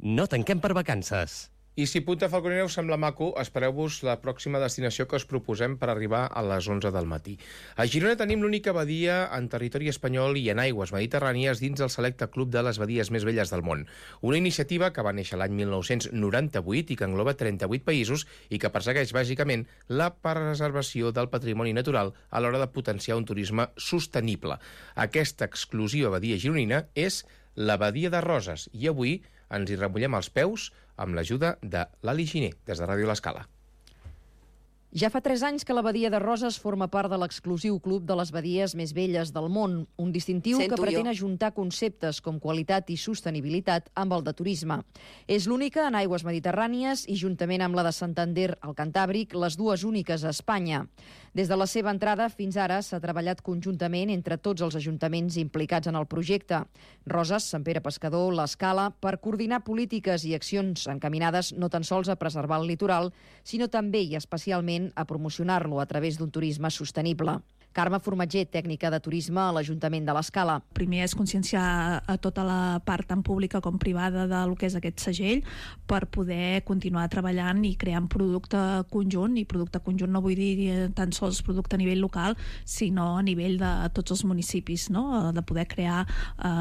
No tanquem per vacances. I si Punta Falconera us sembla maco, espereu-vos la pròxima destinació que us proposem per arribar a les 11 del matí. A Girona tenim l'única badia en territori espanyol i en aigües mediterrànies dins del selecte club de les badies més velles del món. Una iniciativa que va néixer l'any 1998 i que engloba 38 països i que persegueix bàsicament la preservació del patrimoni natural a l'hora de potenciar un turisme sostenible. Aquesta exclusiva badia gironina és la Badia de Roses i avui ens hi remullem els peus amb l'ajuda de l'Ali Giner, des de Ràdio L'Escala. Ja fa 3 anys que la Badia de Roses forma part de l'exclusiu club de les badies més velles del món, un distintiu que pretén ajuntar conceptes com qualitat i sostenibilitat amb el de turisme. És l'única en aigües mediterrànies i, juntament amb la de Santander al Cantàbric, les dues úniques a Espanya. Des de la seva entrada fins ara s'ha treballat conjuntament entre tots els ajuntaments implicats en el projecte. Roses, Sant Pere Pescador, l'Escala, per coordinar polítiques i accions encaminades no tan sols a preservar el litoral, sinó també i especialment a promocionar-lo a través d'un turisme sostenible. Carme Formatger, tècnica de turisme a l'Ajuntament de l'Escala. Primer és conscienciar a tota la part tant pública com privada del que és aquest segell per poder continuar treballant i creant producte conjunt, i producte conjunt no vull dir tan sols producte a nivell local, sinó a nivell de tots els municipis, no? De poder crear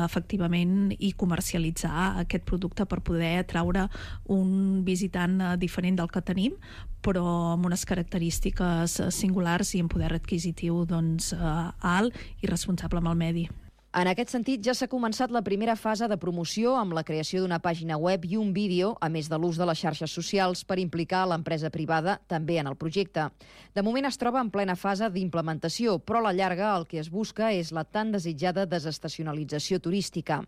efectivament i comercialitzar aquest producte per poder atraure un visitant diferent del que tenim, però amb unes característiques singulars i amb poder adquisitiu alt i responsable amb el medi. En aquest sentit, ja s'ha començat la primera fase de promoció amb la creació d'una pàgina web i un vídeo, a més de l'ús de les xarxes socials, per implicar l'empresa privada també en el projecte. De moment es troba en plena fase d'implementació, però a la llarga el que es busca és la tan desitjada desestacionalització turística.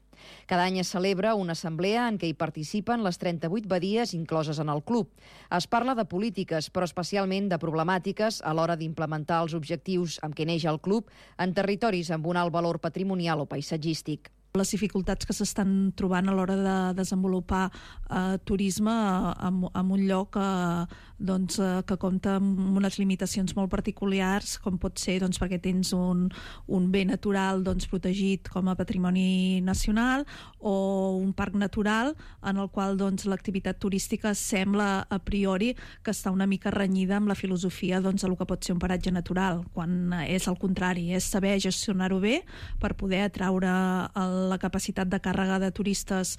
Cada any es celebra una assemblea en què hi participen les 38 badies incloses en el club. Es parla de polítiques, però especialment de problemàtiques a l'hora d'implementar els objectius amb què neix el club en territoris amb un alt valor patrimonial o paisatgístic. Les dificultats que s'estan trobant a l'hora de desenvolupar turisme en un lloc que compta amb unes limitacions molt particulars, com pot ser perquè tens un bé natural protegit com a patrimoni nacional o un parc natural en el qual l'activitat turística sembla a priori que està una mica renyida amb la filosofia del que pot ser un paratge natural, quan és al contrari, és saber gestionar-ho bé per poder atraure la capacitat de càrrega de turistes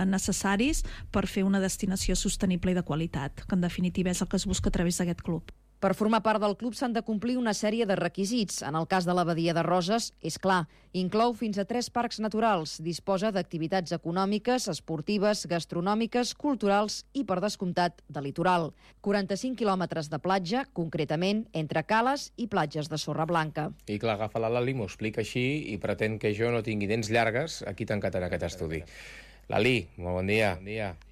necessaris per fer una destinació sostenible i de qualitat, que en definitiva és el que es busca a través d'aquest club. Per formar part del club s'han de complir una sèrie de requisits. En el cas de la Badia de Roses, és clar, inclou fins a 3 parcs naturals, disposa d'activitats econòmiques, esportives, gastronòmiques, culturals i, per descomptat, de litoral. 45 quilòmetres de platja, concretament entre cales i platges de sorra blanca. I clar, agafa la Lali, m'ho explica així i pretén que jo no tingui dents llargues aquí tancat en aquest estudi. Lali, molt bon dia.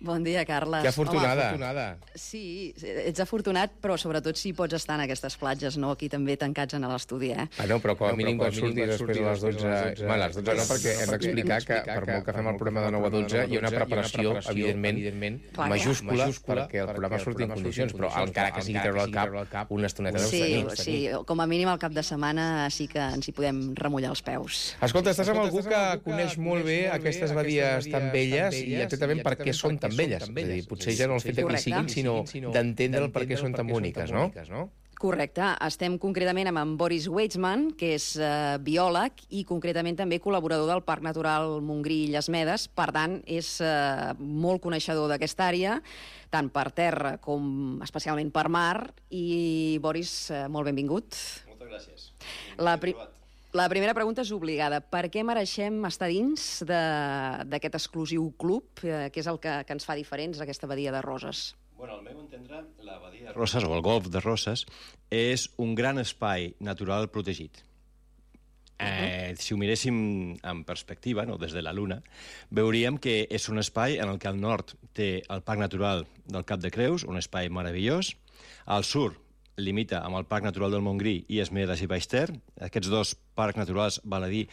Bon dia, Carles. Que afortunada. Sí, ets afortunat, però sobretot si pots estar en aquestes platges, no? Aquí també tancats en l'estudi, No, però com a mínim quan surtis després a les 12... Bueno, a les 12 no, perquè hem d'explicar que per molt que fem el programa de 9 a 12 hi ha una preparació, evidentment, majúscula perquè el programa surti en condicions, però encara que sigui treure el cap una estoneta deu tenir. Sí, com a mínim al cap de setmana sí que ens hi podem remullar els peus. Escolta, estàs amb algú que coneix molt bé aquestes badies tan velles i exactament per què són tan velles. És a dir, potser ja no el fet que hi siguin, sinó d'entendre per què són tan boniques, no? Correcte. Estem concretament amb en Boris Weitzman, que és biòleg i concretament també col·laborador del Parc Natural Montgrí Illes Medes. Per tant, és molt coneixedor d'aquesta àrea, tant per terra com especialment per mar. I, Boris, molt benvingut. Moltes gràcies. La primera pregunta és obligada. Per què mereixem estar dins d'aquest exclusiu club, que és el que ens fa diferents, aquesta Badia de Roses? Bueno, al meu entendre, la Badia de Roses, o el Golf de Roses, és un gran espai natural protegit. Si ho miréssim en perspectiva, no, des de la Luna, veuríem que és un espai en el que al nord té el Parc Natural del Cap de Creus, un espai meravellós, al sud limita amb el Parc Natural del Montgrí, Illes Medes i Baix Ter. Aquests dos parcs naturals, val a dir,